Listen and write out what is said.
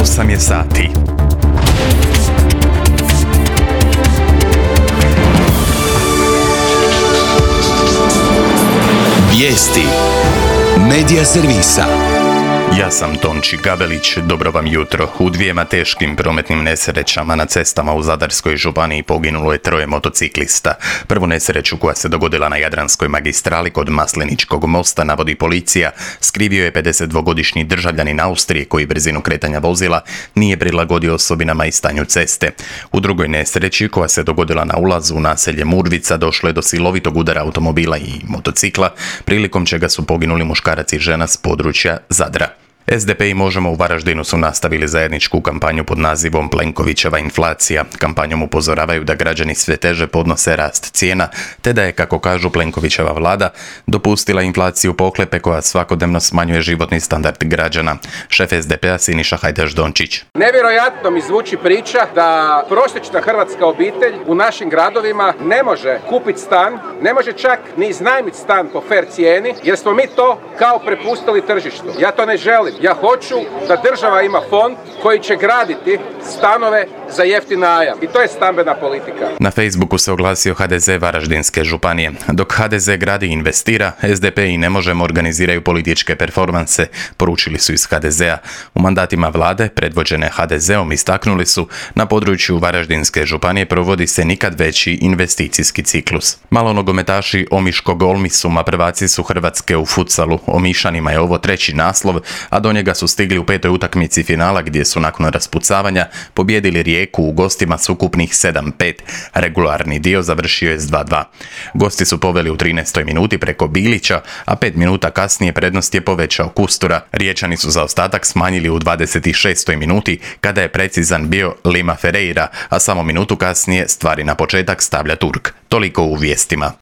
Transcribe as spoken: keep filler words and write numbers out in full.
osam je sati. Vijesti Medija servisa. Ja sam Tonči Gabelić, dobro vam jutro. U dvijema teškim prometnim nesrećama na cestama u Zadarskoj županiji poginulo je troje motociklista. Prvu nesreću koja se dogodila na Jadranskoj magistrali kod Masleničkog mosta, navodi policija, skrivio je pedesetdvogodišnji državljanin Austrije koji brzinu kretanja vozila nije prilagodio osobinama i stanju ceste. U drugoj nesreći koja se dogodila na ulazu u naselje Murvica došlo je do silovitog udara automobila i motocikla, prilikom čega su poginuli muškarac i žena s područja Zadra. S D P i Možemo u Varaždinu su nastavili zajedničku kampanju pod nazivom Plenkovićeva inflacija. Kampanjom upozoravaju da građani sve teže podnose rast cijena, te da je, kako kažu, Plenkovićeva vlada dopustila inflaciju pohlepe koja svakodnevno smanjuje životni standard građana. Šef S D P-a Siniša Hajdaš Dončić. Nevjerojatno mi zvuči priča da prosječna hrvatska obitelj u našim gradovima ne može kupiti stan, ne može čak ni iznajmiti stan po fer cijeni, jer smo mi to kao prepustili tržištu. Ja to ne želim. Ja hoću da država ima fond koji će graditi stanove za jeftin najam. I to je stambena politika. Na Facebooku se oglasio H D Z Varaždinske županije. Dok H D Z gradi i investira, S D P i Ne možemo organiziraju političke performanse, poručili su iz H D Z-a. U mandatima vlade, predvođene H D Z-om, istaknuli su, na području Varaždinske županije provodi se nikad veći investicijski ciklus. Malonogometaši Omiškog Olmisuma prvaci su Hrvatske u futsalu. Omišanima je ovo treći naslov, a do njega su stigli u petoj utakmici finala gdje su nakon raspucavanja pobijedili Rijeku u gostima s ukupnih sedam pet. Regularni dio završio je s dva dva. Gosti su poveli u trinaestoj minuti preko Bilića, a pet minuta kasnije prednost je povećao Kustura. Riječani su zaostatak smanjili u dvadeset šestoj minuti kada je precizan bio Lima Ferreira, a samo minutu kasnije stvari na početak stavlja Turk. Toliko u vijestima.